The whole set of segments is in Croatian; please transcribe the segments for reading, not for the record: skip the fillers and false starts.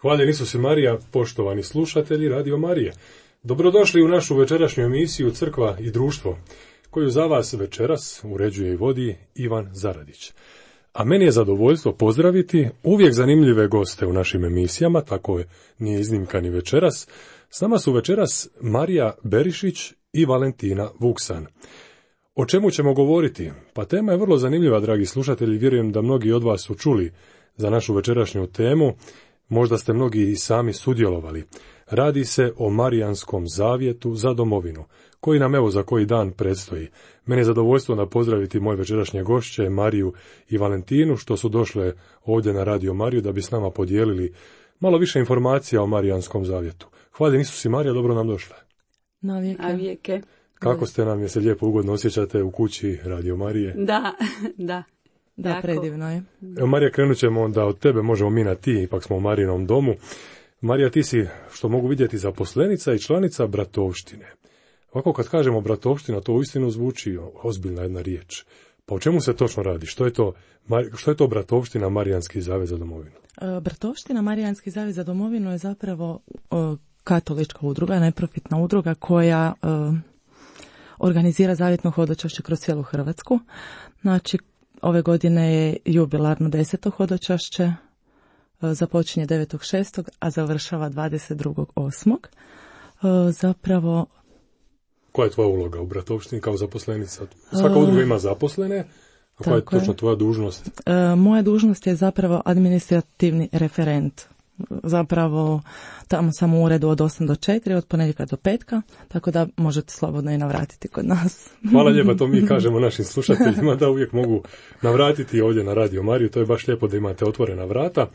Hvaljen Isus i Marija, poštovani slušatelji Radio Marije. Dobrodošli u našu večerašnju emisiju Crkva i društvo, koju za vas večeras uređuje i vodi Ivan Zaradić. A meni je zadovoljstvo pozdraviti uvijek zanimljive goste u našim emisijama, tako nije iznimka ni večeras. S nama su večeras Marija Berišić i Valentina Vuksan. O čemu ćemo govoriti? Pa tema je vrlo zanimljiva, dragi slušatelji, vjerujem da mnogi od vas su čuli za našu večerašnju temu, možda ste mnogi i sami sudjelovali. Radi se o Marijanskom zavjetu za domovinu, koji nam evo za koji dan predstoji. Meni je zadovoljstvo da pozdraviti moje večerašnje gošće, Mariju i Valentinu, što su došle ovdje na Radio Mariju da bi s nama podijelili malo više informacija o Marijanskom zavjetu. Hvaljen Isus i Marija, dobro nam došle. Na vijeke. Kako ste nam, je se lijepo ugodno osjećate u kući Radio Marije? Da, jako. Predivno je. Evo, Marija, krenut ćemo onda od tebe, možemo mi na ti, ipak smo u Marijinom domu. Marija, ti si, što mogu vidjeti, zaposlenica i članica bratovštine. Ovako kad kažemo bratovština, to uistinu zvuči ozbiljna jedna riječ. Pa o čemu se točno radi? Što je to bratovština Marijanski zavjet za domovinu? Bratovština Marijanski zavjet za domovinu je zapravo katolička udruga, neprofitna udruga koja organizira zavjetno hodočašće kroz cijelu Hrvatsku. Znači, ove godine je jubilarno 10. hodočašće, započinje 9.6. a završava 22.8. Zapravo... Koja je tvoja uloga u bratovštini kao zaposlenica? Svaka udruga ima zaposlene, a koja je točno tvoja dužnost? Moja dužnost je zapravo administrativni referent. Zapravo tamo sam u uredu od 8 do 4, od ponedjeljka do petka, tako da možete slobodno i navratiti kod nas. Hvala lijepa, to mi kažemo našim slušateljima da uvijek mogu navratiti ovdje na Radio Mariju, to je baš lijepo da imate otvorena vrata.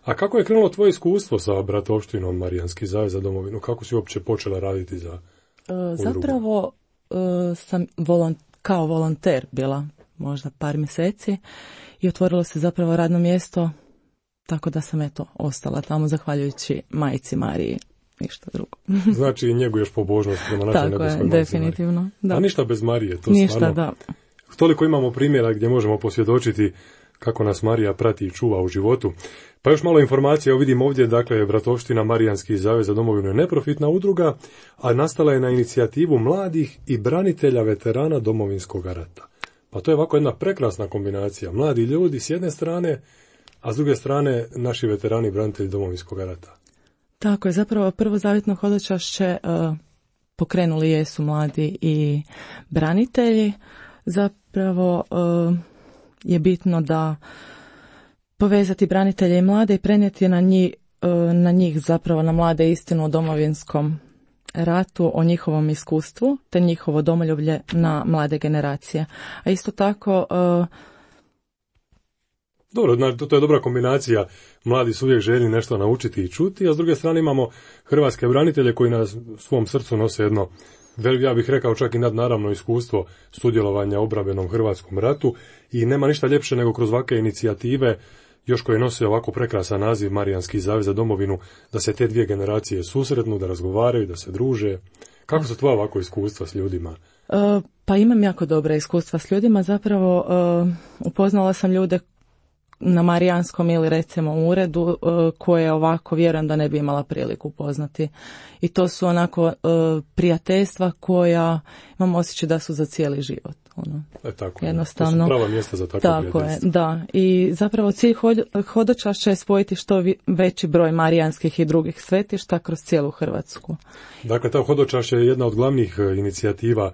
A kako je krenulo tvoje iskustvo sa bratovštinom Marijanski zavjet za domovinu? Kako si uopće počela raditi za udrugu? Zapravo sam kao volonter bila možda par mjeseci i otvorilo se zapravo radno mjesto, tako da sam ostala tamo zahvaljujući majci Mariji, ništa drugo. Znači njeguješ pobožnost prema našoj nebeskoj majci Mariji. Definitivno. Da. A ništa bez Marije, to ništa, stvarno. Da. Toliko imamo primjera gdje možemo posvjedočiti kako nas Marija prati i čuva u životu. Pa još malo informacija, vidim ovdje, dakle, bratovština Marijanski zavjet za domovinu je neprofitna udruga, a nastala je na inicijativu mladih i branitelja veterana Domovinskog rata. Pa to je ovako jedna prekrasna kombinacija. Mladi ljudi s jedne strane, a s druge strane naši veterani i branitelji Domovinskog rata. Tako je, zapravo prvo zavjetno hodočašće pokrenuli jesu mladi i branitelji. Zapravo je bitno da povezati branitelje i mlade i prenijeti na njih zapravo na mlade istinu o Domovinskom ratu, o njihovom iskustvu, te njihovo domoljublje na mlade generacije. A isto tako... Dobro, to je dobra kombinacija. Mladi su uvijek željni nešto naučiti i čuti, a s druge strane imamo hrvatske branitelje koji na svom srcu nose jedno, ja bih rekao čak i nadnaravno iskustvo sudjelovanja u obrambenom Hrvatskom ratu i nema ništa ljepše nego kroz ovakve inicijative, još koje nose ovako prekrasan naziv Marijanski zavjet za domovinu, da se te dvije generacije susretnu, da razgovaraju, da se druže. Kako su tvoja ovako iskustva s ljudima? Pa imam jako dobra iskustva s ljudima. Zapravo upoznala sam ljude na Marijanskom ili recimo uredu koje ovako vjerujem da ne bi imala priliku upoznati. I to su onako prijateljstva koja imam osjećaj da su za cijeli život. Tako jednostavno. To su prava mjesta za takvo prijateljstvo. Tako je, da. I zapravo cilj hodočašća je spojiti što veći broj marijanskih i drugih svetišta kroz cijelu Hrvatsku. Dakle, ta hodočašća je jedna od glavnih inicijativa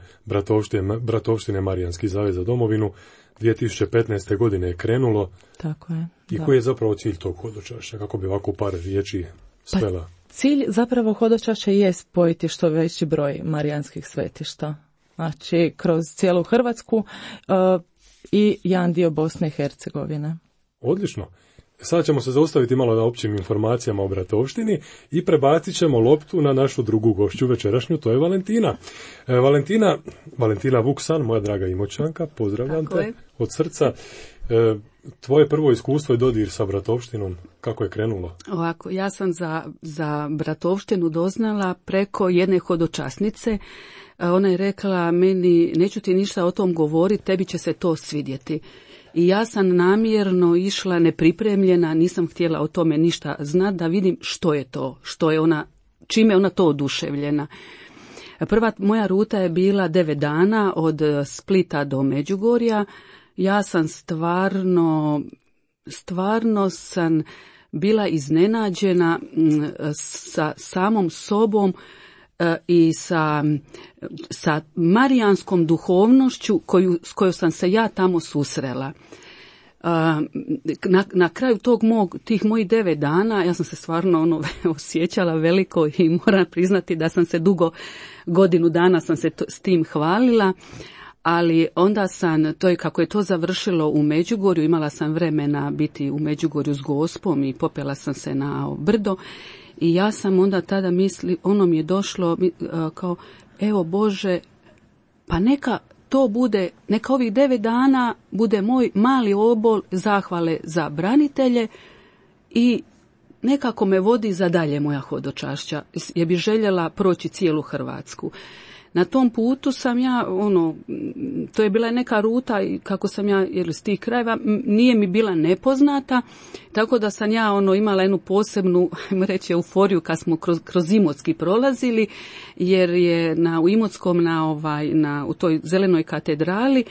bratovštine Marijanski zavjet za domovinu. 2015. godine je krenulo. Tako je. I koji je zapravo cilj tog hodočašća? Kako bi ovako par riječi svela? Pa, cilj zapravo hodočašća je spojiti što veći broj marijanskih svetišta. Znači, kroz cijelu Hrvatsku i jedan dio Bosne i Hercegovine. Odlično. Sada ćemo se zaustaviti malo na općim informacijama o bratovštini i prebacit ćemo loptu na našu drugu gošću večerašnju, to je Valentina. Valentina Vuksan, moja draga Imoćanka, pozdravljam te od srca. Tvoje prvo iskustvo je dodir sa bratovštinom, kako je krenulo? Ovako, ja sam za bratovštinu doznala preko jedne hodočasnice. Ona je rekla meni, neću ti ništa o tom govoriti, tebi će se to svidjeti. I ja sam namjerno išla nepripremljena, nisam htjela o tome ništa znati, da vidim što je to, što je ona, čime je ona to oduševljena. Prva moja ruta je bila 9 dana od Splita do Međugorja. Ja sam stvarno sam bila iznenađena sa samom sobom i sa marijanskom duhovnošću s kojom sam se ja tamo susrela. Na kraju tih mojih 9 dana ja sam se stvarno osjećala veliko i moram priznati da sam se godinu dana sam se s tim hvalila, ali onda kako je to završilo u Međugorju, imala sam vremena biti u Međugorju s Gospom i popela sam se na brdo i ja sam onda tada mi je došlo kao, evo Bože, pa neka to bude, neka ovih 9 dana bude moj mali obol zahvale za branitelje i nekako me vodi za dalje moja hodočašća, jer bi željela proći cijelu Hrvatsku. Na tom putu sam ja, to je bila neka ruta, kako sam ja, jer s tih krajeva, nije mi bila nepoznata, tako da sam ja imala jednu posebnu, ajmo reći, euforiju kad smo kroz Imotski prolazili, jer je u Imotskom, u toj zelenoj katedrali,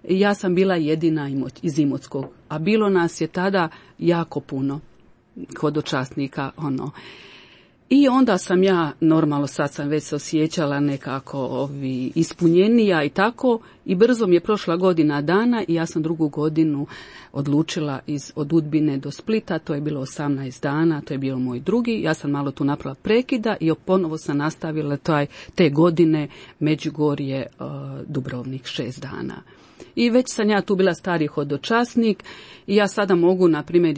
ja sam bila jedina iz Imotskog, a bilo nas je tada jako puno hodočasnika, I onda sam ja, normalno sad sam već se osjećala nekako ispunjenija i tako, i brzo mi je prošla godina dana i ja sam 2. godinu odlučila od Udbine do Splita, to je bilo 18 dana, to je bio moj drugi, ja sam malo tu napravila prekida i ponovo sam nastavila te godine Međugorje, Dubrovnik 6 dana. I već sam ja tu bila stari hodočasnik i ja sada mogu, na primjer,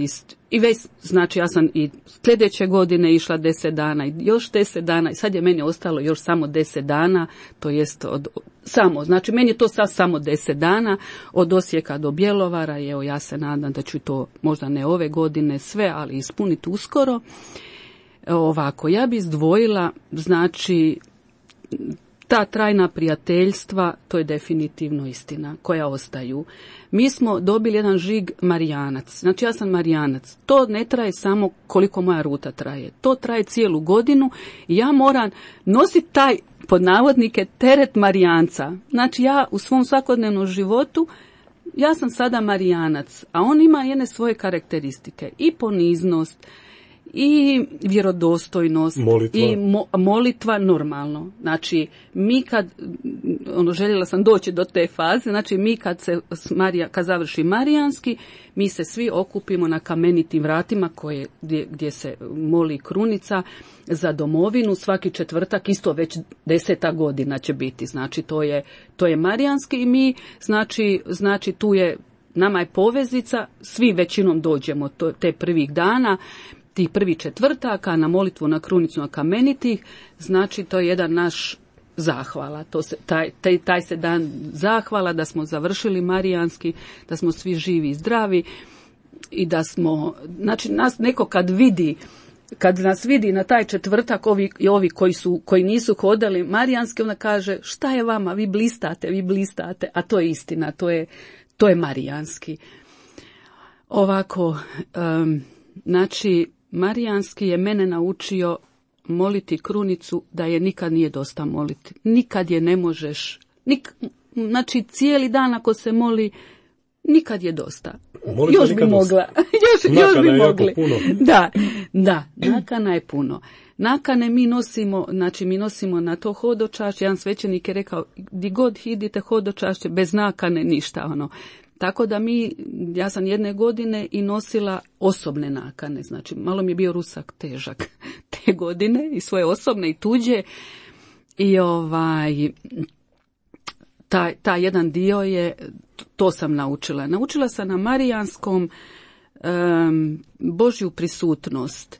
i već, znači ja sam i sljedeće godine išla 10 dana i još 10 dana i sad je meni ostalo još samo 10 dana, to jest znači meni je to sad samo 10 dana od Osijeka do Bjelovara i evo ja se nadam da ću to možda ne ove godine sve, ali ispuniti uskoro. Ovako, ja bi izdvojila, znači, ta trajna prijateljstva, to je definitivno istina, koja ostaju. Mi smo dobili jedan žig Marijanac. Znači ja sam Marijanac. To ne traje samo koliko moja ruta traje. To traje cijelu godinu i ja moram nositi taj, pod navodnike, teret Marijanca. Znači ja u svom svakodnevnom životu, ja sam sada Marijanac, a on ima jedne svoje karakteristike. I poniznost, i vjerodostojnost, molitva. I molitva normalno. Znači, mi kad, željela sam doći do te faze, znači mi kad završi Marijanski, mi se svi okupimo na kamenitim vratima gdje se moli krunica za domovinu, svaki četvrtak, isto već 10. godina će biti, znači to je Marijanski i mi, znači tu je, nama je povezica, svi većinom dođemo te prvih dana, tih prvih četvrtaka na molitvu na krunicu na kamenitih, znači to je jedan naš zahvala, taj se dan zahvala da smo završili Marijanski, da smo svi živi i zdravi i da smo, znači nas neko kad nas vidi na taj četvrtak, ovi koji nisu hodali Marijanski, onda kaže šta je vama, vi blistate, a to je istina, to je Marijanski. Ovako, znači, Marijanski je mene naučio moliti krunicu da je nikad nije dosta moliti. Nikad je ne možeš, znači cijeli dan ako se moli, nikad je dosta. Molite još bi mogla. još bi mogli. Da, nakana je puno. Nakane mi nosimo na to hodočašće. Jedan svećenik je rekao, di god idite hodočašće, bez nakane ništa, Tako da ja sam jedne godine i nosila osobne nakane, znači malo mi je bio rusak težak te godine i svoje osobne i tuđe i taj jedan dio je, to sam naučila. Naučila sam na Marijanskom Božju prisutnost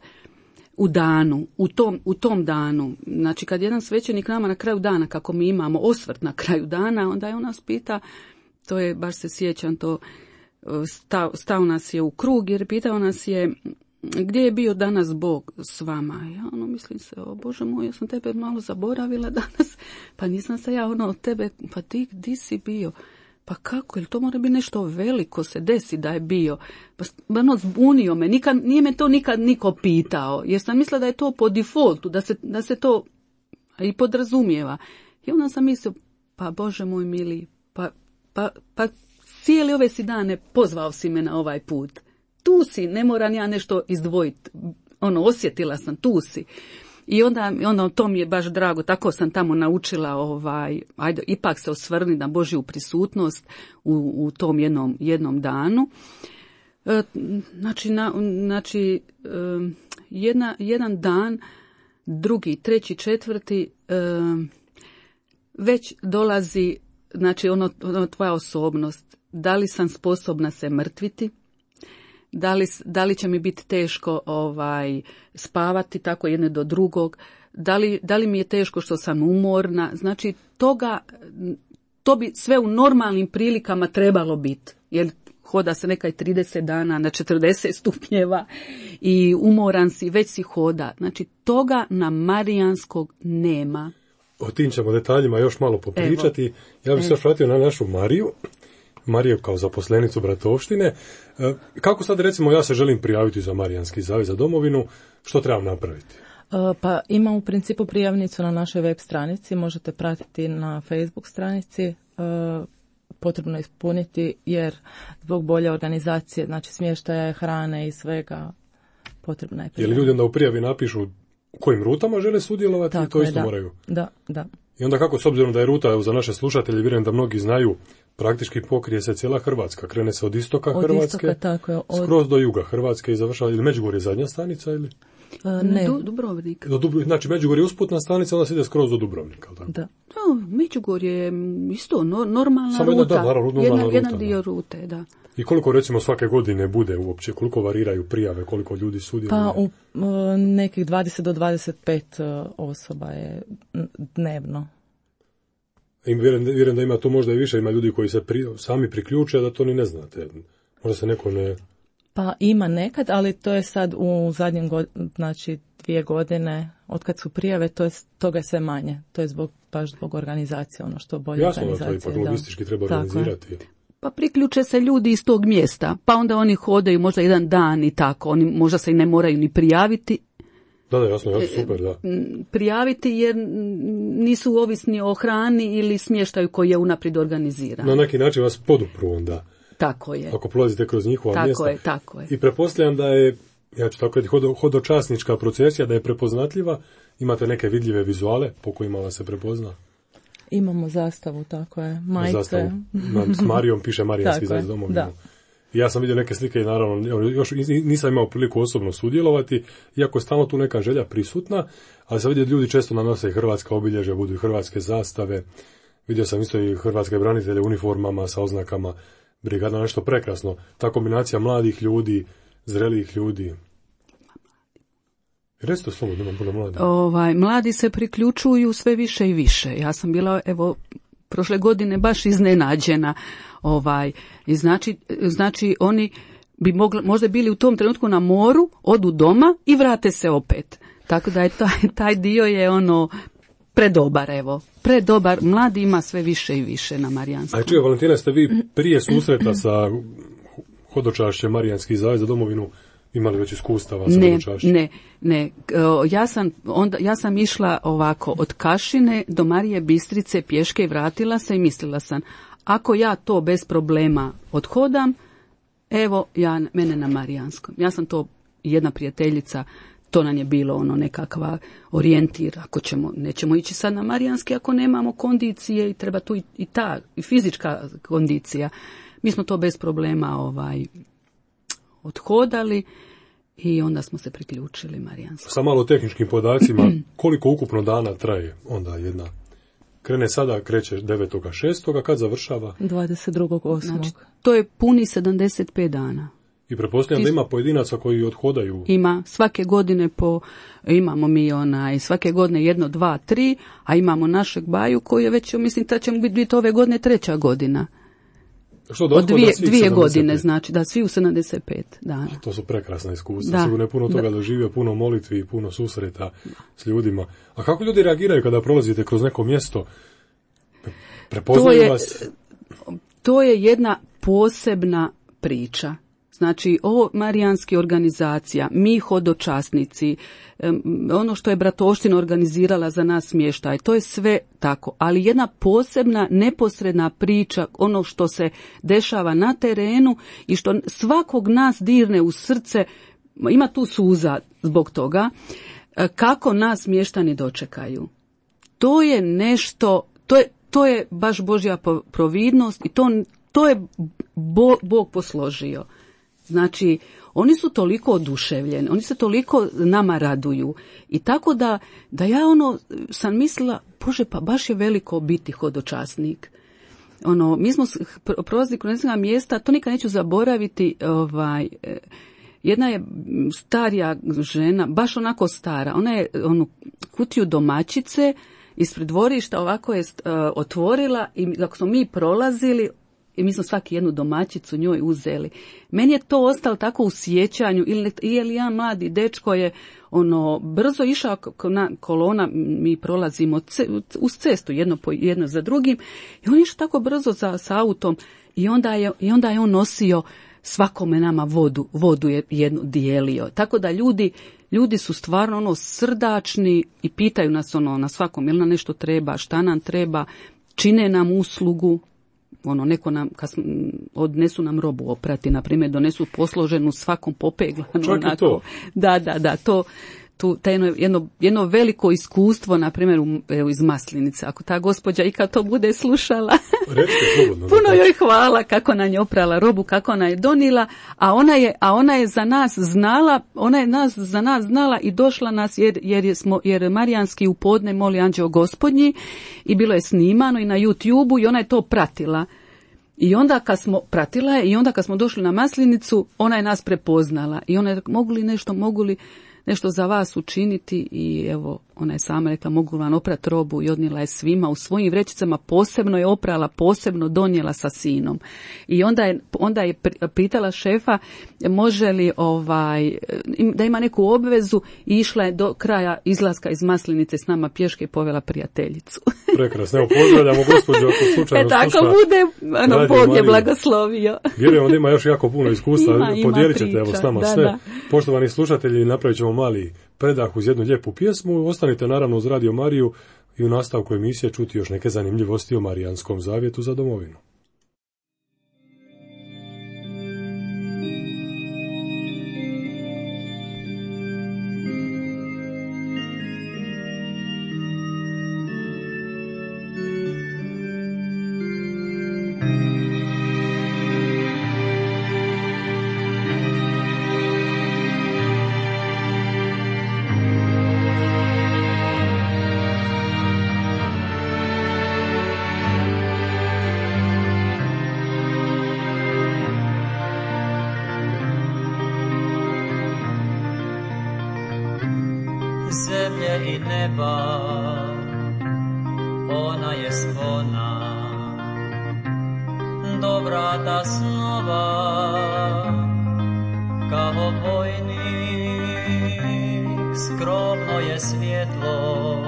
u danu, u tom danu. Znači kad jedan svećenik nama na kraju dana, kako mi imamo osvrt na kraju dana, onda je on nas pita, to je, baš se sjećam to, stao nas je u krug jer pitao nas je gdje je bio danas Bog s vama. Ja mislim se, o Bože moj, ja sam tebe malo zaboravila danas, pa nisam se ja od tebe, pa ti gdje si bio? pa kako, ili to mora biti nešto veliko se desi da je bio. Pa ono zbunio me, nije me to nikad niko pitao, jer sam mislila da je to po defaultu, da se to i podrazumijeva. I onda sam mislila, pa Bože moj mili, pa cijeli ove si dane pozvao si me na ovaj put. Tu si, ne moram ja nešto izdvojiti. Osjetila sam, tu si. I onda to mi je baš drago, tako sam tamo naučila, ajde, ipak se osvrni na Božju prisutnost u tom jednom danu. Jedan dan, drugi, treći, četvrti, već dolazi, znači tvoja osobnost, da li sam sposobna se mrtviti, da li će mi biti teško spavati tako jedne do drugog, da li mi je teško što sam umorna, znači to bi sve u normalnim prilikama trebalo biti, jer hoda se nekaj 30 dana na 40 stupnjeva i umoran si, već si hoda, znači toga na Marijanskog nema. O tim ćemo detaljima još malo popričati. Ja bih se još vratio na našu Mariju kao zaposlenicu Bratovštine. Kako sad, recimo, ja se želim prijaviti za Marijanski zavez za domovinu, što trebam napraviti? Pa ima u principu prijavnicu na našoj web stranici, možete pratiti na Facebook stranici, potrebno ispuniti jer zbog bolje organizacije, znači smještaja, hrane i svega, potrebna je prijava. Je li ljudi onda u prijavi napišu u kojim rutama žele sudjelovati? Tako to isto moraju? Da. I onda kako, s obzirom da je ruta, za naše slušatelje, vjerujem da mnogi znaju, praktički pokrije se cijela Hrvatska. Krene se od istoka Hrvatske, skroz do juga Hrvatske i završava, ili Međugorje je zadnja stanica, ili? Ne. Dubrovnik. Znači, Međugorje je usputna stanica, onda se ide skroz do Dubrovnika. Tako? Da. Međugorje je isto normalna samo ruta. Jedan dio rute, da. I koliko, recimo, svake godine bude uopće, koliko variraju prijave, koliko ljudi sudjeluje? Pa u nekih 20 do 25 osoba je dnevno. I vjerujem da ima tu možda i više, ima ljudi koji se sami priključe, da to ni ne znate. Možda se neko ne... Pa ima nekad, ali to je sad u zadnjim znači 2 godine, od kad su prijave, toga je sve manje. To je baš zbog organizacije, što bolje organizacije. Jasno da to ipak logistički treba organizirati. Pa priključe se ljudi iz tog mjesta, pa onda oni hodaju možda jedan dan i tako, oni možda se i ne moraju ni prijaviti. Da, jasno, super, da. Prijaviti jer nisu ovisni o hrani ili smještaju koji je unaprijed organiziran. Na neki način vas podupru onda. Tako je. Ako prolazite kroz njihova mjesta. Tako je. I pretpostavljam da je, ja ću tako reći, hodočasnička procesija, da je prepoznatljiva. Imate neke vidljive vizuale po kojima vas se prepozna? Imamo zastavu, tako je. Majice. Zastavu. S Marijom piše Marijanski zavez za domovinu. Ja sam vidio neke slike i naravno još nisam imao priliku osobno sudjelovati, iako je stalno tu neka želja prisutna, ali sam vidio ljudi često nanose hrvatska obilježja, budu i hrvatske zastave. Vidio sam isto i hrvatske branitelje u uniformama sa oznakama brigada, nešto prekrasno. Ta kombinacija mladih ljudi, zrelijih ljudi. Recite slobodno, imam puno mladih. Mladi se priključuju sve više i više. Ja sam bila, prošle godine baš iznenađena. I znači oni bi možda bili u tom trenutku na moru, odu doma i vrate se opet. Tako da je taj dio je predobar, predobar. Mladi ima sve više i više na Marijanskom. A čuje, Valentina, ste vi prije susreta sa hodočašćem Marijanski zavez za domovinu imali već iskustava sa hodočašćem? Ne. Ja sam išla ovako od Kašine do Marije Bistrice pješke i vratila se i mislila sam, ako ja to bez problema odhodam, mene na Marijanskom. Ja sam to, jedna prijateljica, to nam je bilo nekakva orijentir, ako nećemo ići sad na Marijanski ako nemamo kondicije i treba tu i ta i fizička kondicija. Mi smo to bez problema odhodali i onda smo se priključili Marijanskom. Sa malo tehničkim podacima, koliko ukupno dana traje onda jedna? Krene sada, kreće 9.6. Kad završava? 22.8. Znači, to je puni 75 dana. I pretpostavljam da ima pojedinaca koji odhodaju? Ima, svake godine imamo mi svake godine 1, 2, 3, a imamo našeg baju koji je već, mislim, da će biti ove godine 3. godina. Što da od 2 godine, znači, da svi u 75 dana. To su prekrasna iskustva, sigurno je puno toga doživio, puno molitvi i puno susreta s ljudima. A kako ljudi reagiraju kada prolazite kroz neko mjesto? Prepoznaju vas? to je jedna posebna priča. Znači, ovo marijanski organizacija, mi hodočasnici, ono što je Bratovština organizirala za nas smještaj, to je sve tako. Ali jedna posebna, neposredna priča, ono što se dešava na terenu i što svakog nas dirne u srce, ima tu suza zbog toga, kako nas mještani dočekaju. To je nešto, to je baš Božja providnost i to je Bog posložio. Znači, oni su toliko oduševljeni, oni se toliko nama raduju i tako da ja sam mislila, Bože, pa baš je veliko biti hodočasnik. Mi smo prolazili kroz neka mjesta, to nikad neću zaboraviti, jedna je starija žena, baš onako stara, ona je kutiju domaćice ispred dvorišta ovako je otvorila i kako smo mi prolazili, i mi smo svaki jednu domaćicu njoj uzeli. Meni je to ostalo tako u sjećanju, ili jedan mladi dečko je brzo išao kolona, mi prolazimo uz cestu jedno za drugim, i on išao tako brzo sa autom i onda je on nosio svakome nama vodu je jednu dijelio. Tako da ljudi su stvarno srdačni i pitaju nas na svakom, jel nam nešto treba, šta nam treba, čine nam uslugu. Neko nam, odnesu nam robu oprati, na primjer, donesu posloženu svakom popeglanu. Čak i to. Da, to jedno veliko iskustvo, na primjer, iz Maslinice. Ako ta gospođa ikad to bude slušala, puno joj hvala kako nam je oprala robu, kako nam je donila, a ona je za nas znala, i došla nas jer marijanski u podne moli Anđeo Gospodnji i bilo je snimano i na YouTubeu i ona je to pratila. I onda kad smo došli na Maslinicu, ona je nas prepoznala i ona je mogu li nešto za vas učiniti, i evo, ona je sama rekla, mogu vam oprati robu, i odnijela je svima u svojim vrećicama, posebno je oprala, posebno donijela sa sinom. I onda je pitala šefa može li da ima neku obvezu, i išla je do kraja izlaska iz Maslinice s nama pješke i povela prijateljicu. Prekrasno, evo pozdravljamo gospođu ako slučajno sluša. Tako bude, Bog je blagoslovio. Vjerujem da ima još jako puno iskustva, podijelit ćete priča, s nama sve. Poštovani slušatelji, napravit ćemo mali predah uz jednu lijepu pjesmu. Ostanite naravno uz Radio Mariju i u nastavku emisije čuti još neke zanimljivosti o Marijanskom zavjetu za domovinu. Zemlje i neba, ona je sklona do vrata snova, kao vojnik skromno je svjetlo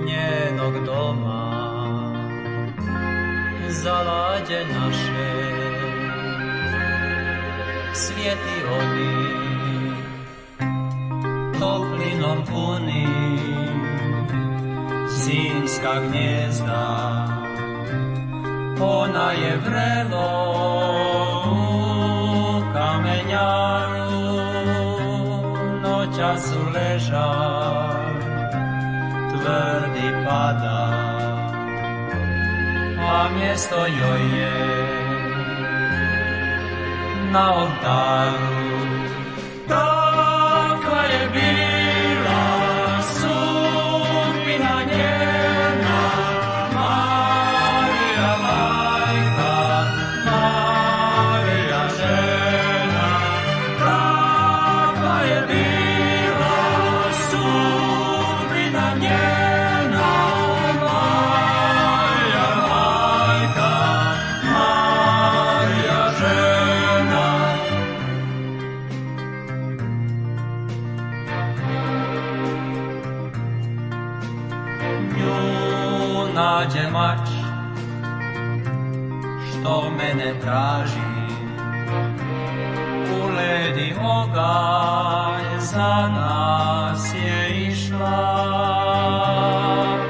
njenog doma, zalađe naše svijeti oni toplinom puni, zimska gnjezda, ona je vrelo u kamenjaru, noćas su leža, tvrdi pada, a mjesto joj je na oltaru. Kakva je bila sudbina njena, Marija majka, Marija žena. Kakva je bila sudbina njena, Marija majka, Marija žena. Nađe mač što mene traži. U ledi oganj za nas je išla,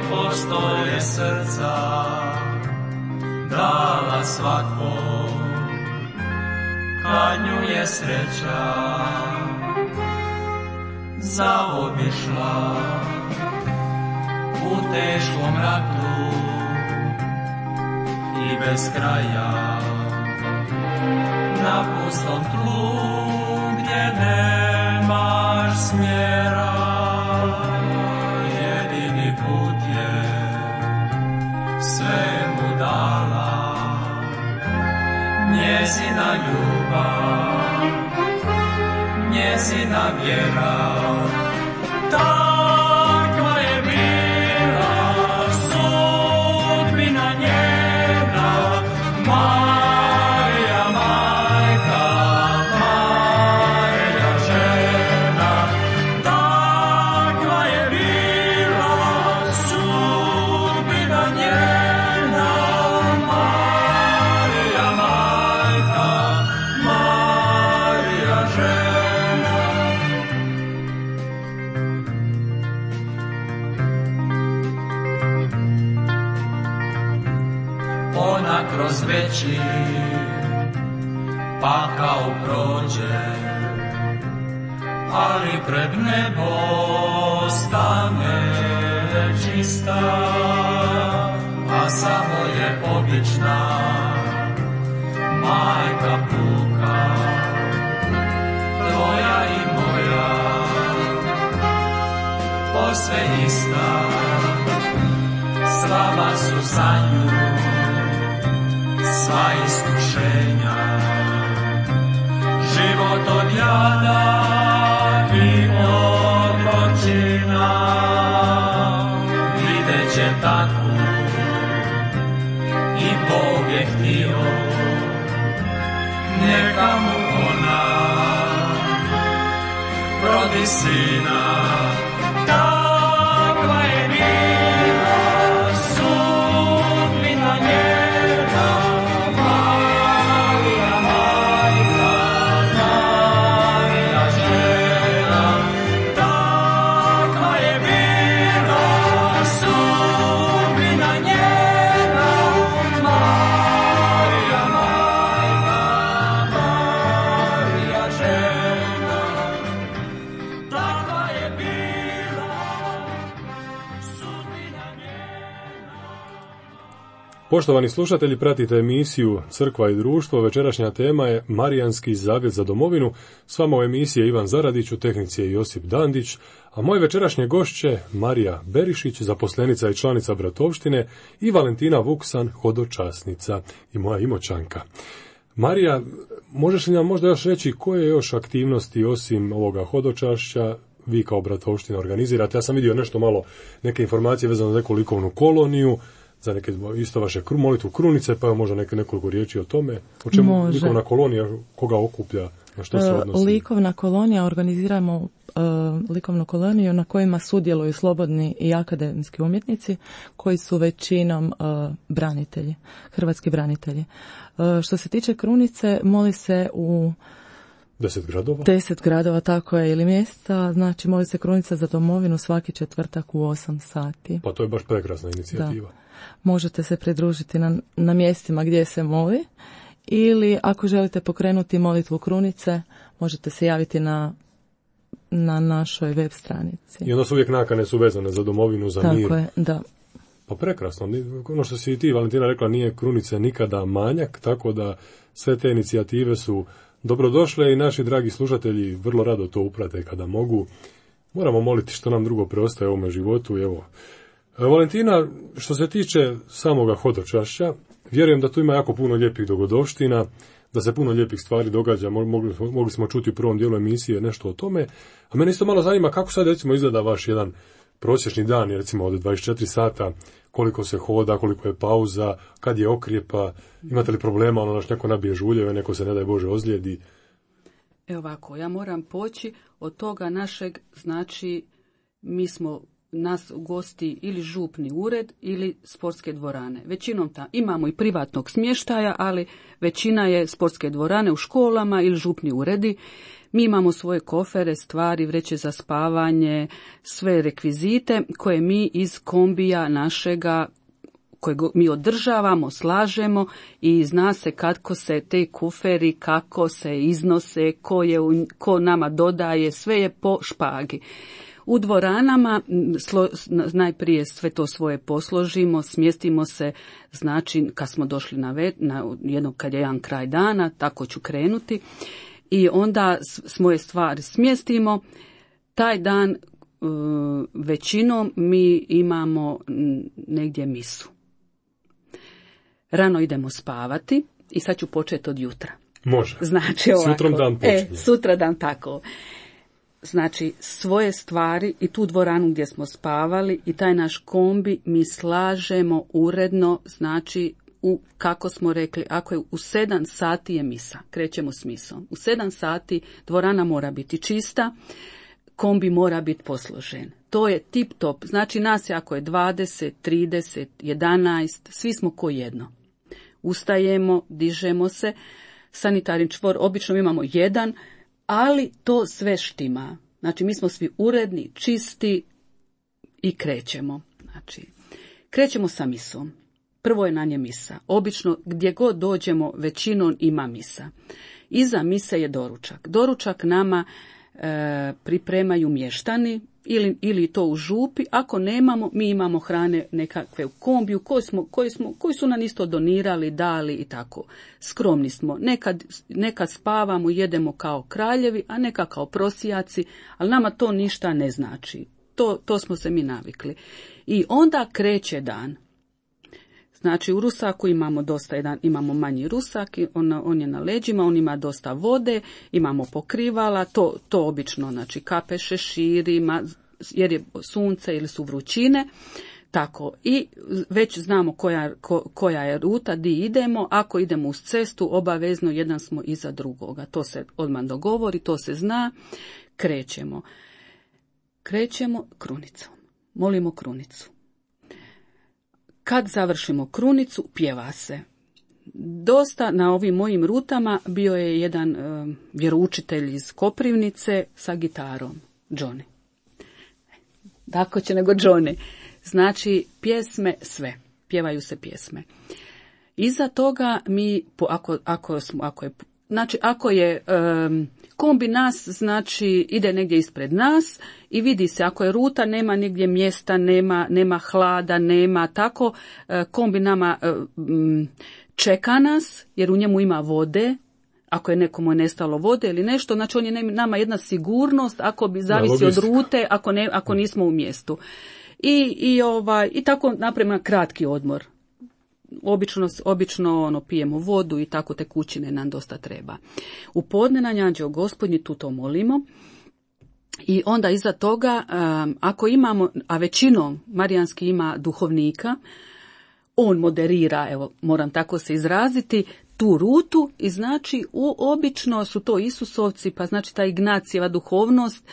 postolje srca dala svakom, kad nju je sreća zaobišla. U teškom ratu i bez kraja, na pustom tlu gdje nemaš smjera, jedini put je sve mu dala njezina ljubav, njezina vjera. Takva je bila sudbina njena, Marija majka, Marija žena. Takva je bila sudbina njena, Marija majka, Marija žena. Ona kroz veći pakao prođe, ali pred nebo stane čista, a samo je obična majka puka, tvoja i moja, posve ista. Slaba su za nju sva iskušenja, život od jada i otročina. Vidjet će takvu i Bog je htio, neka mu ona rodi sina. Takva je bila sudbina njena, Marija majka, Marija žena. Takva je bila sudbina njena, Marija majka, Marija žena. Takva je bila sudbina njena. Poštovani slušatelji, pratite emisiju Crkva i društvo. Večerašnja tema je Marijanski zavjet za domovinu. S vama u emisiji je Ivan Zaradić, u tehnici je Josip Dandić, a moje večerašnje gošće Marija Berišić, zaposlenica i članica Bratovštine, i Valentina Vuksan, hodočasnica i moja Imoćanka. Marija, možeš li nam možda još reći koje još aktivnosti osim ovoga hodočašća vi kao Bratovština organizirate? Ja sam vidio nešto malo, neke informacije vezano za neku likovnu koloniju, za neke isto vaše molitvu krunice, pa možda nekoliko riječi o tome. O čemu Može. likovna kolonija, koga okuplja, na što se odnosi? Likovna kolonija, organiziramo likovnu koloniju na kojima sudjeluju slobodni i akademski umjetnici koji su većinom branitelji, hrvatski branitelji. Što se tiče krunice, moli se u 10 gradova? 10 gradova, tako je, ili mjesta. Znači, moli se krunica za domovinu svaki četvrtak u 8 sati. Pa to je baš prekrasna inicijativa. Da. Možete se pridružiti na mjestima gdje se moli, ili ako želite pokrenuti molitvu krunice, možete se javiti na našoj web stranici. I onda su uvijek nakane su vezane za domovinu, za mir. Tako je, da. Pa prekrasno. Ono što si i ti, Valentina, rekla, nije krunice nikada manjak, tako da sve te inicijative su dobrodošle i naši dragi slušatelji vrlo rado to uprate kada mogu. Moramo moliti što nam drugo preostaje u ovome životu. Evo. Valentina, što se tiče samoga hodočašća, vjerujem da tu ima jako puno lijepih dogodovština, da se puno lijepih stvari događa. Mogli smo čuti u prvom dijelu emisije nešto o tome. A mene isto malo zanima kako sad recimo izgleda vaš jedan prosječni dan, recimo od 24 sata, koliko se hoda, koliko je pauza, kad je okrijepa, imate li problema, naš neko nabije žuljeve, neko se ne daj Bože ozlijedi. Evo ovako, ja moram poći od toga našeg, znači mi smo nas gosti ili župni ured ili sportske dvorane. Većinom imamo i privatnog smještaja, ali većina je sportske dvorane u školama ili župni uredi. Mi imamo svoje kofere, stvari, vreće za spavanje, sve rekvizite koje mi iz kombija našega, koje mi održavamo, slažemo i zna se kako se te kuferi, kako se iznose, ko nama dodaje, sve je po špagi. U dvoranama najprije sve to svoje posložimo, smjestimo se, znači kad smo došli kad je jedan kraj dana, tako ću krenuti, i onda svoje stvari smjestimo. Taj dan većinom mi imamo negdje misu. Rano idemo spavati i sad ću početi od jutra. Može. Znači ovako. Sutrom dan počinje. Sutra dan tako. Znači, svoje stvari i tu dvoranu gdje smo spavali i taj naš kombi mi slažemo uredno, znači, kako smo rekli, ako je u 7 sati je misa, krećemo s misom. U 7 sati dvorana mora biti čista, kombi mora biti posložen. To je tip top. Znači, nas je ako je 20, 30, 11, svi smo ko jedno. Ustajemo, dižemo se, sanitarni čvor, obično imamo jedan, ali to sve štima. Znači, mi smo svi uredni, čisti i krećemo. Znači, krećemo sa misom. Prvo je na nje misa. Obično, gdje god dođemo, većinom ima misa. Iza mise je doručak. Doručak nama pripremaju mještani ili to u župi. Ako nemamo, mi imamo hrane nekakve u kombiju koji su nam isto donirali, dali i tako. Skromni smo. Nekad spavamo, jedemo kao kraljevi, a neka kao prosijaci, ali nama to ništa ne znači. To smo se mi navikli. I onda kreće dan. Znači, u rusaku imamo imamo manji rusak, on je na leđima, on ima dosta vode, imamo pokrivala, to obično, znači, kape, šeširi, jer je sunce ili su vrućine, tako. I već znamo koja je ruta, di idemo. Ako idemo uz cestu, obavezno jedan smo iza drugoga. To se odmah dogovori, to se zna. Krećemo krunicom. Molimo krunicu. Kad završimo krunicu, pjeva se. Dosta na ovim mojim rutama bio je jedan vjeroučitelj iz Koprivnice sa gitarom, Johnny. Tako će nego Johnny. Znači, pjesme sve. Pjevaju se pjesme. Iza toga mi, ako je kombi nas, znači ide negdje ispred nas i vidi se, ako je ruta, nema negdje mjesta, nema hlada, nema tako, kombi nama čeka nas, jer u njemu ima vode. Ako je nekomu nestalo vode ili nešto, znači on je nama jedna sigurnost, ako bi zavisi od rute, ako nismo u mjestu. I tako napravimo kratki odmor. Obično pijemo vodu i tako tekućine nam dosta treba. U podne na Anđeo Gospodnji tu to molimo. I onda iza toga, ako imamo, a većinom marijanski ima duhovnika, on moderira, evo moram tako se izraziti, tu rutu i znači obično su to Isusovci, pa znači ta Ignacijeva duhovnost,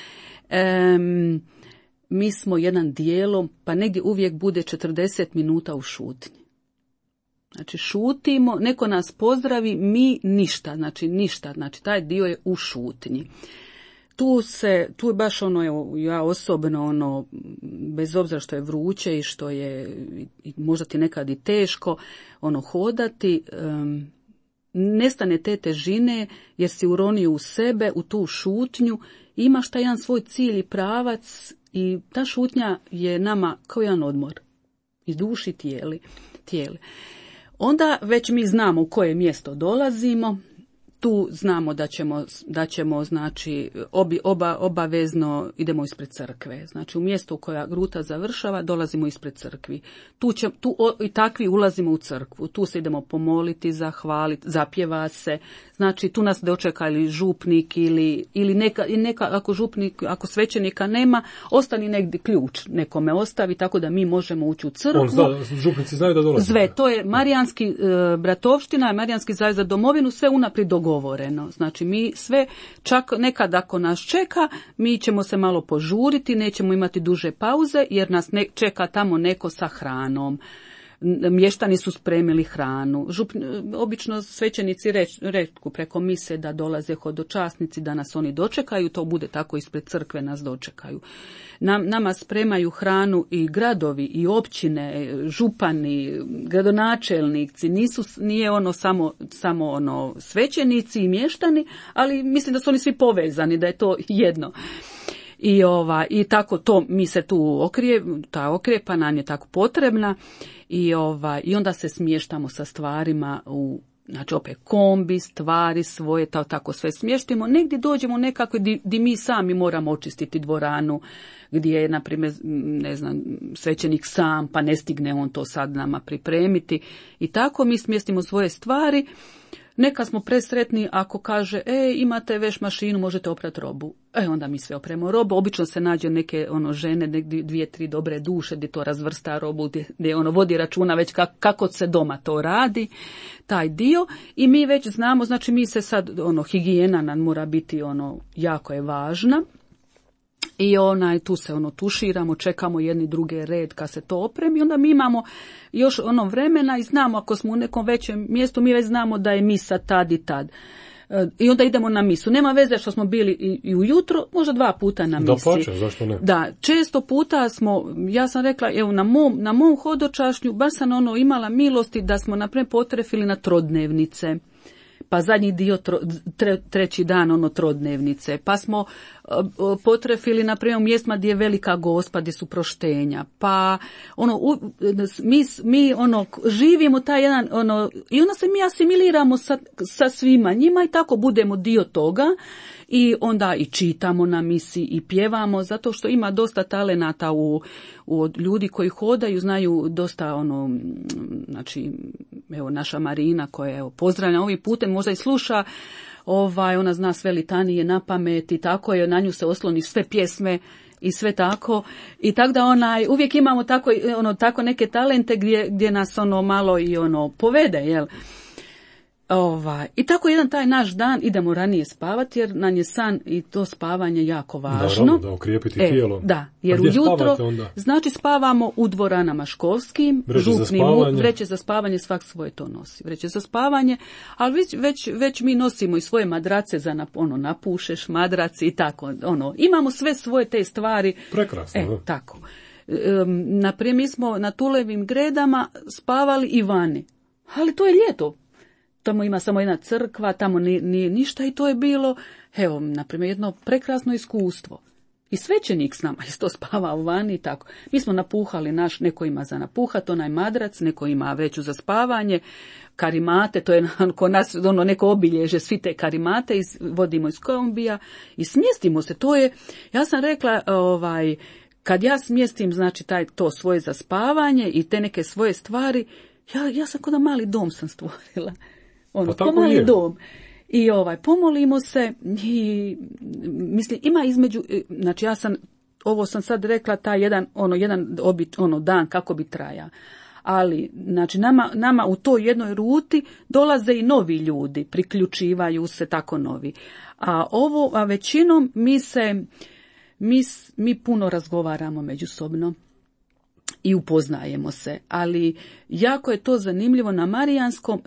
mi smo jedan dijelom, pa negdje uvijek bude 40 minuta u šutnji. Znači šutimo, neko nas pozdravi, mi ništa, znači taj dio je u šutnji. Tu je baš ja osobno bez obzira što je vruće i što je možda ti nekad i teško hodati, nestane te težine jer si uronio u sebe, u tu šutnju, imaš taj jedan svoj cilj i pravac i ta šutnja je nama kao jedan odmor i duši tijeli. Onda već mi znamo u koje mjesto dolazimo, tu znamo da ćemo znači obavezno idemo ispred crkve. Znači u mjesto u koja ruta završava dolazimo ispred crkvi. I takvi ulazimo u crkvu. Tu se idemo pomoliti, zahvaliti, zapjeva se. Znači tu nas dočeka ili župnik ili neka ako svećenika nema, ostani negdje ključ nekome ostavi, tako da mi možemo ući u crkvu. Župnici znaju da dolaze. Sve, to je Marijanski bratovština, Marijanski zavez za domovinu, sve unaprijed dogovoreno. dogovoreno. Znači mi sve, čak nekad ako nas čeka, mi ćemo se malo požuriti, nećemo imati duže pauze jer nas čeka tamo neko sa hranom. Mještani su spremili hranu. Obično svećenici reku preko mise da dolaze hodočasnici, da nas oni dočekaju, to bude tako ispred crkve nas dočekaju. Nama spremaju hranu i gradovi i općine, župani, gradonačelnici, nije ono samo ono svećenici i mještani, ali mislim da su oni svi povezani, da je to jedno. I tako to mi se tu ta okrijepa nam je tako potrebna i onda se smještamo sa stvarima znači opet kombi, stvari svoje, tako sve smještimo. Negdje dođemo nekako gdje mi sami moramo očistiti dvoranu, gdje je, na primjer, ne znam, svećenik sam, pa ne stigne on to sad nama pripremiti. I tako mi smjestimo svoje stvari. Neka smo presretni ako kaže, imate veš mašinu, možete oprati robu. Onda mi sve opremo robu. Obično se nađe neke žene, negdje 2-3 dobre duše gdje to razvrsta robu, gdje vodi računa već kako se doma to radi, taj dio. I mi već znamo, znači mi se sad, higijena nam mora biti, jako je važna. I tu se tuširamo, čekamo jedni druge red kad se to opremi, onda mi imamo još vremena i znamo ako smo u nekom većem mjestu, mi već znamo da je misa tad i tad. I onda idemo na misu. Nema veze što smo bili i ujutro, možda 2 puta na misi. Da, pače, zašto ne? Da, često puta ja sam rekla, evo na mom hodočašnju, baš sam imala milosti da smo naprimjer potrefili na trodnevnice. Pa zadnji dio, treći dan, trodnevnice. Pa smo potrefili, na primjer, u mjestima gdje je velika gospa, gdje su proštenja. Pa, mi živimo taj jedan, i onda se mi asimiliramo sa svima njima i tako budemo dio toga. I onda i čitamo na misi i pjevamo, zato što ima dosta talenata u ljudi koji hodaju, znaju dosta znači, evo naša Marina koja pozdravlja ovim putem, možda i sluša, ona zna sve litanije na pamet i tako je, na nju se osloni sve pjesme i sve tako. I tako da uvijek imamo tako neke talente gdje nas malo i povede, jel? I tako jedan taj naš dan idemo ranije spavati jer nam je san i to spavanje jako važno. Naravno, da okrijepiti tijelo. Da, jer ujutro znači spavamo u dvoranama školskim, župnim, vreće za spavanje, svak svoje to nosi. Vreće za spavanje, ali već mi nosimo i svoje madrace za napušeš, madraci i tako. Imamo sve svoje te stvari. Prekrasno, da. Tako. Naprimjer, mi smo na Tulevim gredama spavali i vani. Ali to je ljeto. Tamo ima samo jedna crkva, tamo nije ništa i to je bilo, evo, naprimjer, jedno prekrasno iskustvo. I svećenik s nama isto spavao vani i tako. Mi smo napuhali neko ima za napuhat, onaj madrac, neko ima vreću za spavanje, karimate, to je kod nas neko obilježe, svi te karimate vodimo iz kombija i smjestimo se. To je, ja sam rekla, kad ja smjestim, znači, to svoje za spavanje i te neke svoje stvari, ja sam kod mali dom sam stvorila. Pa mali dom. I pomolimo se i mislim ima između, znači ovo sam sad rekla taj jedan dan kako bi traja. Ali znači nama u toj jednoj ruti dolaze i novi ljudi, priključivaju se tako novi. A većinom mi puno razgovaramo međusobno i upoznajemo se, ali jako je to zanimljivo na Marijanskom,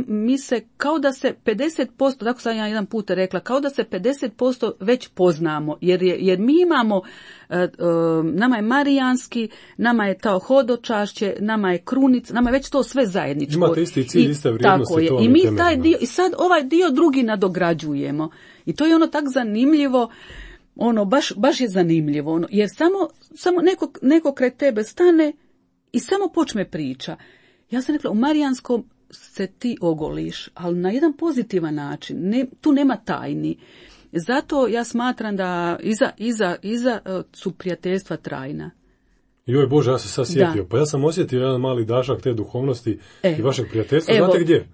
mi se kao da se 50%, tako sam ja jedan put rekla, kao da se 50% već poznamo, jer mi imamo, nama je Marijanski, nama je to hodočašće, nama je krunica, nama je već to sve zajedničko. Imate isti cilj, iste vrijednosti. Tako je, i mi taj dio, i sad ovaj dio drugi nadograđujemo. I to je tak zanimljivo, baš je zanimljivo, jer samo neko kraj tebe stane i samo počne priča. Ja sam rekla, u Marijanskom se ti ogoliš, ali na jedan pozitivan način, tu nema tajni. Zato ja smatram da iza su prijateljstva trajna. Joj Bože, ja se sad sjetio. Pa ja sam osjetio jedan mali dašak te duhovnosti i vašeg prijateljstva. Znate gdje?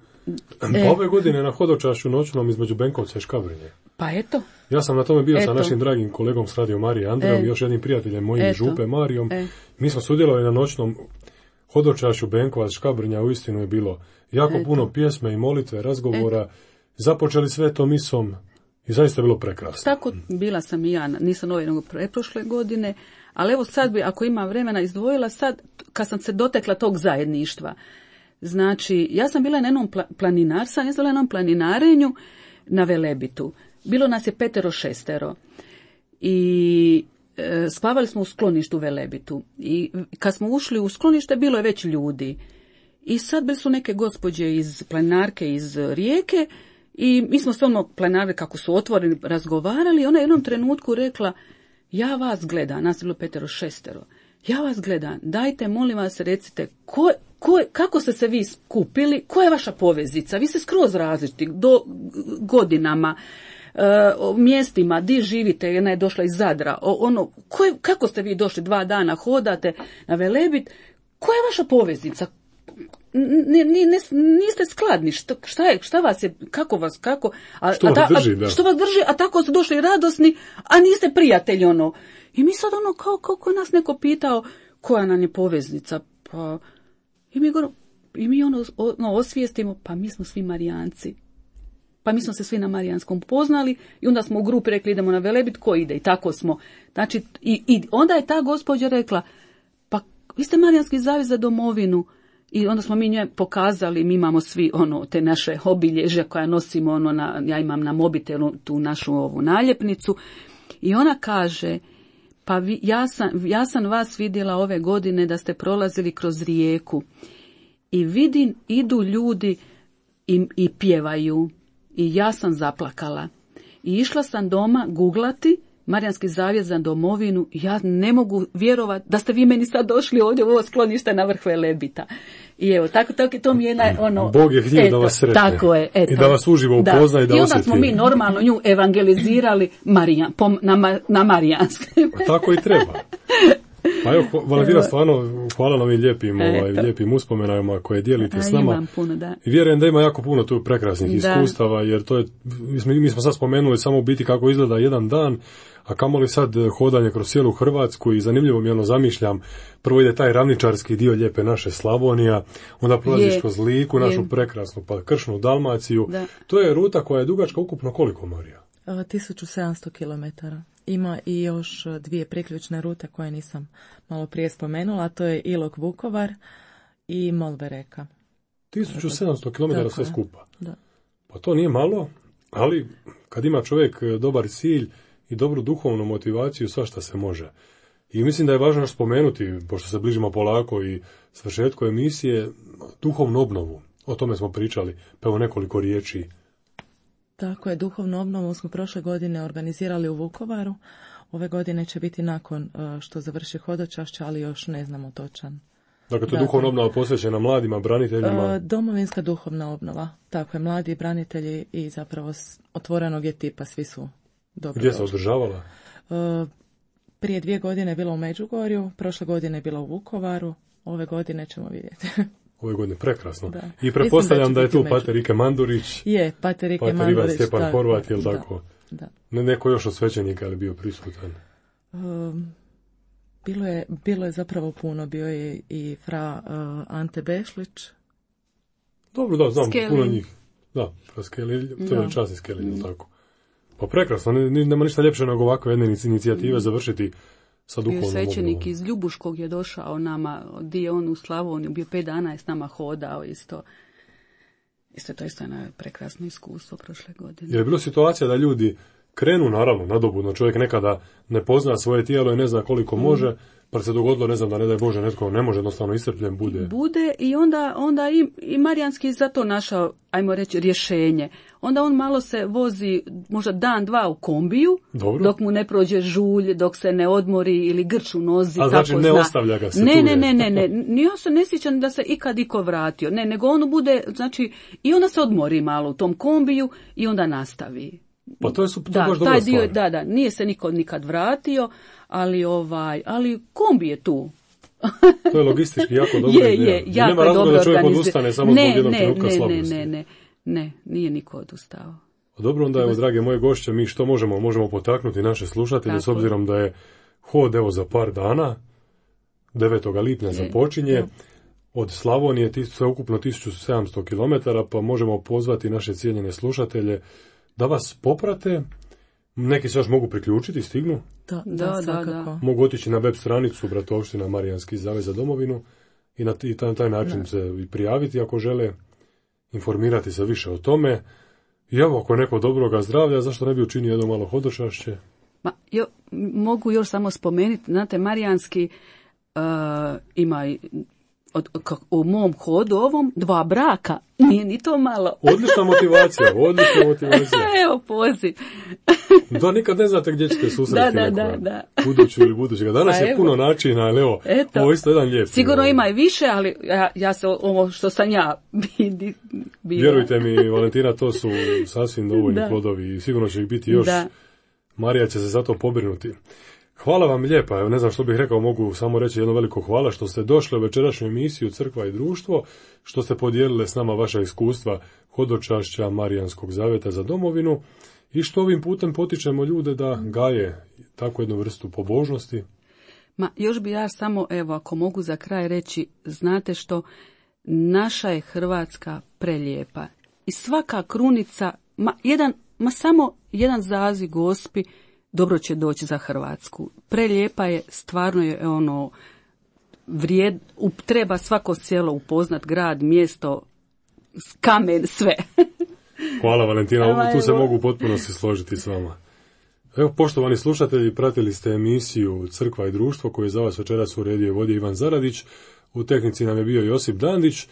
Pa ove godine na hodočašću noćnom između Benkovca i Škabrnje. Pa eto. Ja sam na tome bio sa našim dragim kolegom s Radio Marije Andrejom i još jednim prijateljem mojim iz Župe Marijom. Mi smo sudjelovali na noćnom hodočašću Benkovac Škabrnja, uistinu je bilo jako puno pjesme i molitve, razgovora započeli svetom misom i zaista je bilo prekrasno. Tako bila sam i ja, nisam ove nego preprošle godine, ali evo sad bi, ako ima vremena, izdvojila sad, kad sam se dotekla tog zajedništva. Znači, ja sam bila na jednom planinarenju na Velebitu. Bilo nas je 5-6 i spavali smo u skloništu u Velebitu. I kad smo ušli u sklonište, bilo je već ljudi. I sad bili su neke gospođe iz planinarke iz Rijeke i mi smo se planinarke kako su otvoreni razgovarali i ona je u jednom trenutku rekla, ja vas gledam, nas je bilo 5-6, ja vas gledam, dajte molim vas recite kako ste se vi skupili, koja je vaša poveznica, vi ste skroz različiti do godinama, mjestima, di živite, jedna je došla iz Zadra, kako ste vi došli 2 dana, hodate na Velebit, koja je vaša poveznica? Niste skladni, šta vas je, kako, što vas drži, a tako ste došli radosni, a niste prijatelji, I mi sad kako nas neko pitao, koja nam je poveznica, pa, i mi osvijestimo, pa mi smo svi Marijanci. Pa mi smo se svi na Marijanskom poznali i onda smo u grupi rekli idemo na Velebit, ko ide, i tako smo. Znači, i onda je ta gospođa rekla, pa vi ste Marijanski zavez za domovinu. I onda smo mi njoj pokazali, mi imamo svi te naše obilježja koja nosimo, ja imam na mobitelu tu našu ovu naljepnicu. I ona kaže, pa ja sam vas vidjela ove godine da ste prolazili kroz rijeku. I vidim, idu ljudi i pjevaju. I ja sam zaplakala. I išla sam doma googlati Marijanski zavjet za domovinu. Ja ne mogu vjerovati da ste vi meni sad došli ovdje u ovo sklonište na vrh Velebita. I evo, tako to mi je Bog je htio da vas sretne. Tako je, eto. I da vas uživo upozna i da osjeti. I onda smo mi normalno nju evangelizirali na Marijanske. Tako i treba. Pa evo, Valentina, stvarno hvala na ovim lijepim uspomenama koje dijelite s nama. Imam puno, da. I vjerujem da ima jako puno tu prekrasnih iskustava, jer to je, mi smo sad spomenuli samo u biti kako izgleda jedan dan, a kamoli sad hodanje kroz cijelu Hrvatsku i zanimljivo mi zamišljam, prvo ide taj ravničarski dio lijepe naše Slavonija, onda prolaziš kroz Liku, našu prekrasnu pa kršnu Dalmaciju. Da. To je ruta koja je dugačka ukupno koliko, Marija? 1700 km. Ima i još 2 priključne rute koje nisam malo prije spomenula, a to je Ilok-Vukovar i Molve-Reka. 1700 km sve skupa. Da. Pa to nije malo, ali kad ima čovjek dobar cilj i dobru duhovnu motivaciju, svašta se može. I mislim da je važno spomenuti, pošto se bližimo polako i svršetku emisije, duhovnu obnovu. O tome smo pričali, pa evo nekoliko riječi. Tako je, duhovnu obnovu smo prošle godine organizirali u Vukovaru. Ove godine će biti nakon što završi hodočašće, ali još ne znamo točan. Dakle, to je duhovna obnova posvećena mladima, braniteljima? Domovinska duhovna obnova. Tako je, mladi branitelji i zapravo otvorenog je tipa, svi su dobro. Gdje se održavala? Prije 2 godine je bila u Međugorju, prošle godine je bila u Vukovaru, ove godine ćemo vidjeti. Ove godine, prekrasno. Da. I pretpostavljam da je tu Pater Ike Mandurić. Je, Pater Ike Mandurić. Ivan Stjepan Horvat, je li tako? Da. Neko još od svećenika je bio prisutan? Bilo je zapravo puno. Bio je i fra Ante Bešlić. Dobro, da, znam, Skelin. Puno njih. Da, fra Skelin, to je časni Skelin, tako. Pa prekrasno, nema ništa ljepše nego ovakve jedne inicijative završiti sa duhovnom obnovom. Bio svećenik iz Ljubuškog je došao nama, di je on u Slavoniju, bio 5 dana je s nama hodao isto. To je jedno prekrasno iskustvo prošle godine. Je bilo situacija da ljudi krenu, naravno, nadobudno, čovjek nekada ne pozna svoje tijelo i ne zna koliko može, pa se dogodilo, ne znam, da ne daj Bože, netko ne može, jednostavno iscrpljen bude. Bude i onda i Marijanski zato našao, ajmo reći, rješenje. Onda on malo se vozi, možda dan, 2 u kombiju, dobro, dok mu ne prođe žulj, dok se ne odmori ili grč u nozi. A znači ne ostavlja ga se tu? Ne. Ja se ne sjećam da se ikad iko vratio. Ne, nego on bude, znači, i onda se odmori malo u tom kombiju i onda nastavi. Pa to je baš dobra stvar. Da, nije se niko nikad vratio, ali kombi je tu. To je logistički jako dobro. Je, jako nema razloga da čovjek odustane samo zbog jednog trenutka slabosti. Ne, nije niko odustao. Dobro, onda evo, drage moje gošće, mi što možemo potaknuti naše slušatelje, s obzirom da je hod evo za par dana, 9. lipnja započinje. od Slavonije, sveukupno 1700 km, pa možemo pozvati naše cijenjene slušatelje da vas poprate. Neki se još mogu priključiti, stignu. Da. Mogu otići na web stranicu Bratovština Marijanski zavez za domovinu i na taj način se i prijaviti ako žele, informirati se više o tome. I evo, ako je neko dobroga zdravlja, zašto ne bi učinio jedno malo hodočašće? Mogu još samo spomenuti, znate, Marijanski ima u mom hodu ovom 2 braka, nije ni to malo. Odlična motivacija. Evo, poziv. Da, nikad ne znate gdje ćete susreti Da. buduću ili budućega. Danas je puno načina, ali evo, ovo isto jedan lijep. Sigurno ima i više, ali ja se ovo što sam ja bila. Vjerujte mi, Valentina, to su sasvim dovoljni plodovi i sigurno će ih biti još. Marija će se za to pobrinuti. Hvala vam lijepa, evo ne znam što bih rekao, mogu samo reći jedno veliko hvala što ste došli u večerašnju emisiju Crkva i društvo, što ste podijelili s nama vaša iskustva hodočašća Marijanskog zaveta za domovinu i što ovim putem potičemo ljude da gaje takvu jednu vrstu pobožnosti. Još bi ja samo, evo, ako mogu za kraj reći, znate što, naša je Hrvatska prelijepa i svaka krunica, samo jedan zaziv Gospi, dobro će doći za Hrvatsku. Prelijepa je, stvarno je treba svako selo upoznat, grad, mjesto, kamen, sve. Hvala Valentina, tu se mogu potpuno se složiti s vama. Evo, poštovani slušatelji, pratili ste emisiju Crkva i društvo koju je za vas večeras uredio i vodio Ivan Zaradić. U tehnici nam je bio Josip Dandić.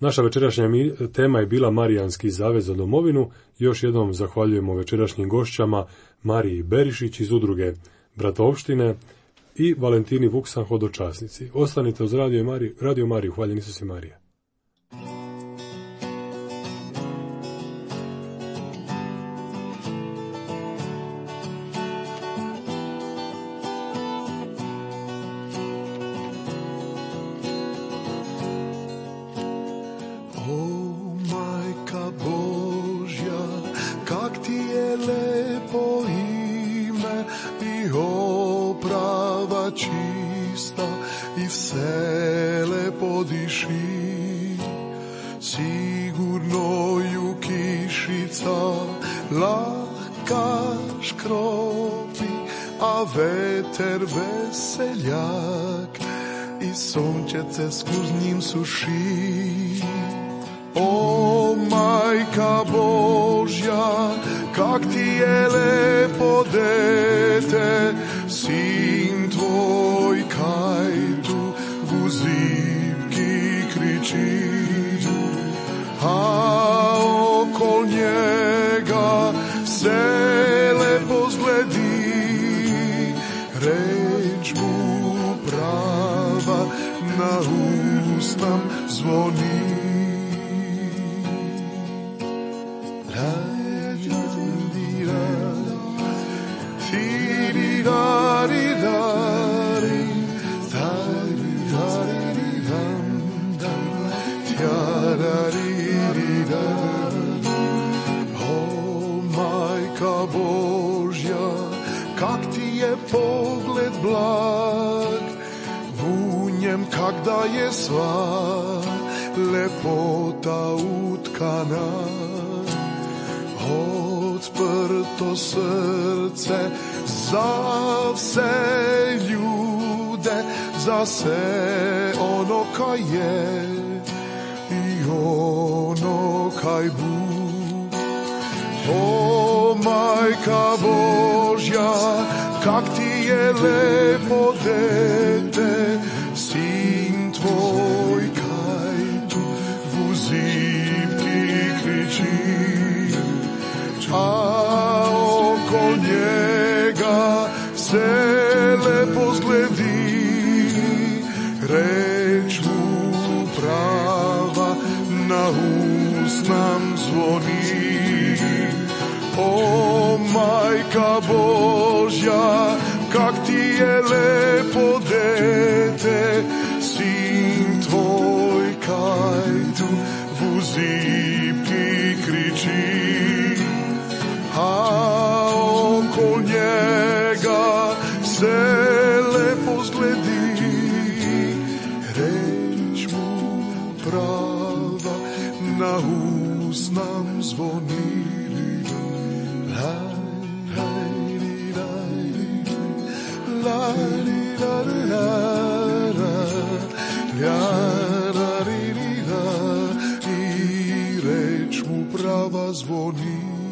Naša večerašnja tema je bila Marijanski zavez za domovinu. Još jednom zahvaljujemo večerašnjim gošćama Mariji Berišić iz udruge Bratovštine i Valentini Vuksan, hodočasnici. Ostanite uz Radio Mariju, hvaljeni Isus i Marija. Veseljak i sunčece skuz njim suši. O majka Božja, kak ti je lepo dete, sin tvoj kaj tu v zivki kriči. A okol njega se lepo zgledi, reč mu prava na ustam zvoni. O majka Božja, kak ti je pogled blag, v njem kak da je sva lepota utkana. Odprto srce za vse ljude, za vse ono kaj je i ono kaj bu. O majka Božja, kak ti je lepo dete, sin tvoj kaj tu v zivki kriči. A okol njega se lepo zgledi, reč mu prava na usnam zvoni. O majka Božja, kak ti je lepo dete, sin tvoj kaj tu v zivki kriči. A okol njega se lepo zgledi, reč mu na us nam zvoni. I reč mu prava zvoni.